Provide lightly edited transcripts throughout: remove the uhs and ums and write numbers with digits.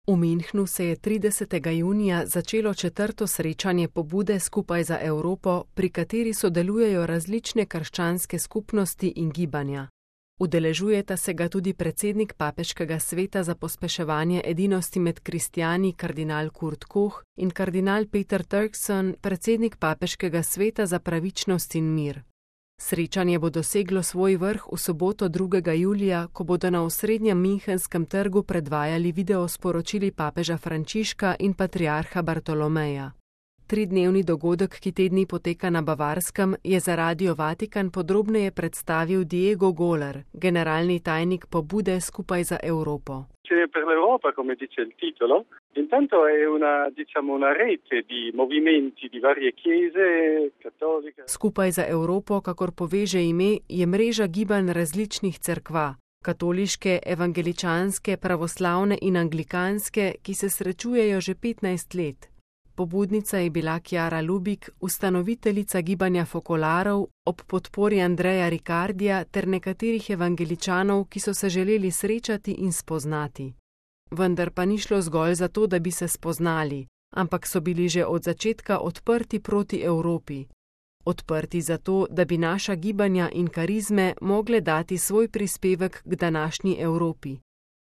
V Münchnu se je 30. junija začelo 4. srečanje Pobude skupaj za Evropo, pri kateri sodelujejo različne krščanske skupnosti in gibanja. Udeležujeta se ga tudi predsednik Papeškega sveta za pospeševanje edinosti med kristjani kardinal Kurt Koch in kardinal Peter Turkson, predsednik Papeškega sveta za pravičnost in mir. Srečanje bo doseglo svoj vrh v soboto 2. julija, ko bodo na osrednjem Münchenskem trgu predvajali video sporočili papeža Frančiška in patriarha Bartolomeja. 3-dnevni dogodek, ki te dni poteka na Bavarskem, je za Radio Vatikan podrobneje predstavil Diego Goller, generalni tajnik Pobude skupaj za Evropo. Per l'Europa, come dice il titolo, intanto è una rete di movimenti di varie chiese cattoliche. Skupaj za Evropo, kakor poveže ime, je mreža gibanj različnih cerkva, katoliške, evangeličanske, pravoslavne in anglikanske, ki se srečujejo že 15 let. Pobudnica je bila Chiara Lubich, ustanoviteljica gibanja Fokolarov, ob podpori Andreja Ricardija ter nekaterih evangeličanov, ki so se želeli srečati in spoznati. Vendar pa ni šlo zgolj za to, da bi se spoznali, ampak so bili že od začetka odprti proti Evropi. Odprti zato, da bi naša gibanja in karizme mogle dati svoj prispevek k današnji Evropi.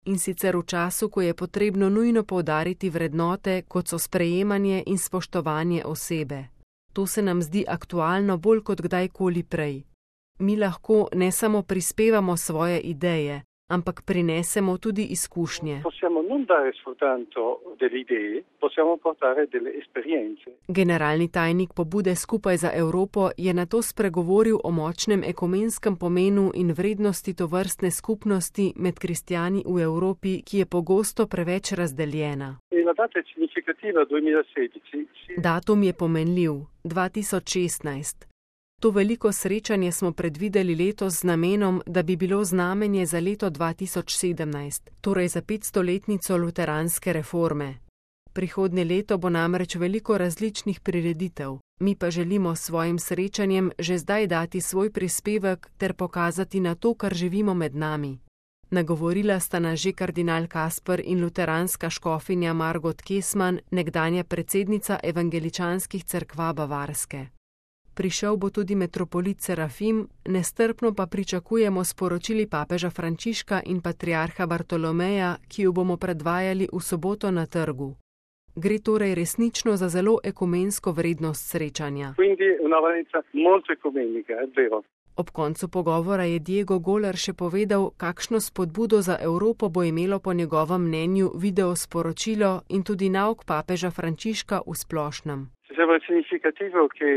In sicer v času, ko je potrebno nujno poudariti vrednote, kot so sprejemanje in spoštovanje osebe. To se nam zdi aktualno bolj kot kdajkoli prej. Mi lahko ne samo prispevamo svoje ideje, ampak prinesemo tudi izkušnje. Generalni tajnik Pobude skupaj za Evropo je nato spregovoril o močnem ekumenskem pomenu in vrednosti tovrstne skupnosti med kristjani v Evropi, ki je pogosto preveč razdeljena. Datum je pomenljiv, 2016. To veliko srečanje smo predvideli letos z namenom, da bi bilo znamenje za leto 2017, torej za 500-letnico luteranske reforme. Prihodnje leto bo namreč veliko različnih prireditev, mi pa želimo s svojim srečanjem že zdaj dati svoj prispevek ter pokazati na to, kar živimo med nami. Nagovorila sta nas že kardinal Kasper in luteranska škofinja Margot Kesman, nekdanja predsednica evangeličanskih cerkva Bavarske. Prišel bo tudi metropolit Serafim, nestrpno pa pričakujemo sporočili papeža Frančiška in patriarha Bartolomeja, ki jo bomo predvajali v soboto na trgu. Gre torej resnično za zelo ekumensko vrednost srečanja. Ob koncu pogovora je Diego Goller še povedal, kakšno spodbudo za Evropo bo imelo po njegovem mnenju video sporočilo in tudi nauk papeža Frančiška v splošnem. Sembra significativo che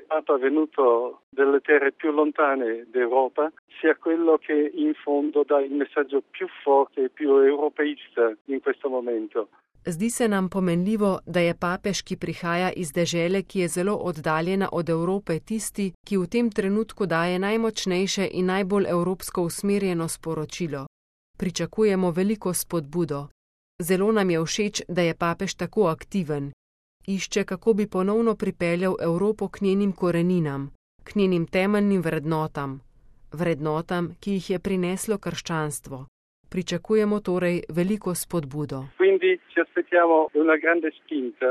Papa venuto delle terre più lontane d'Europa sia quello che in fondo dà il messaggio più forte e più europeista in questo momento. Zdi se nam pomenljivo, da je papež, ki prihaja iz dežele, ki je zelo oddaljena od Evrope, tisti, ki v tem trenutku daje najmočnejše in najbolj evropsko usmerjeno sporočilo. Pričakujemo veliko spodbudo. Zelo nam je všeč, da je papež tako aktiven. Išče, kako bi ponovno pripeljal Evropo k njenim koreninam, k njenim temeljnim vrednotam, vrednotam, ki jih je prineslo krščanstvo. Pričakujemo torej veliko spodbudo. Quindi ci aspettiamo una grande spinta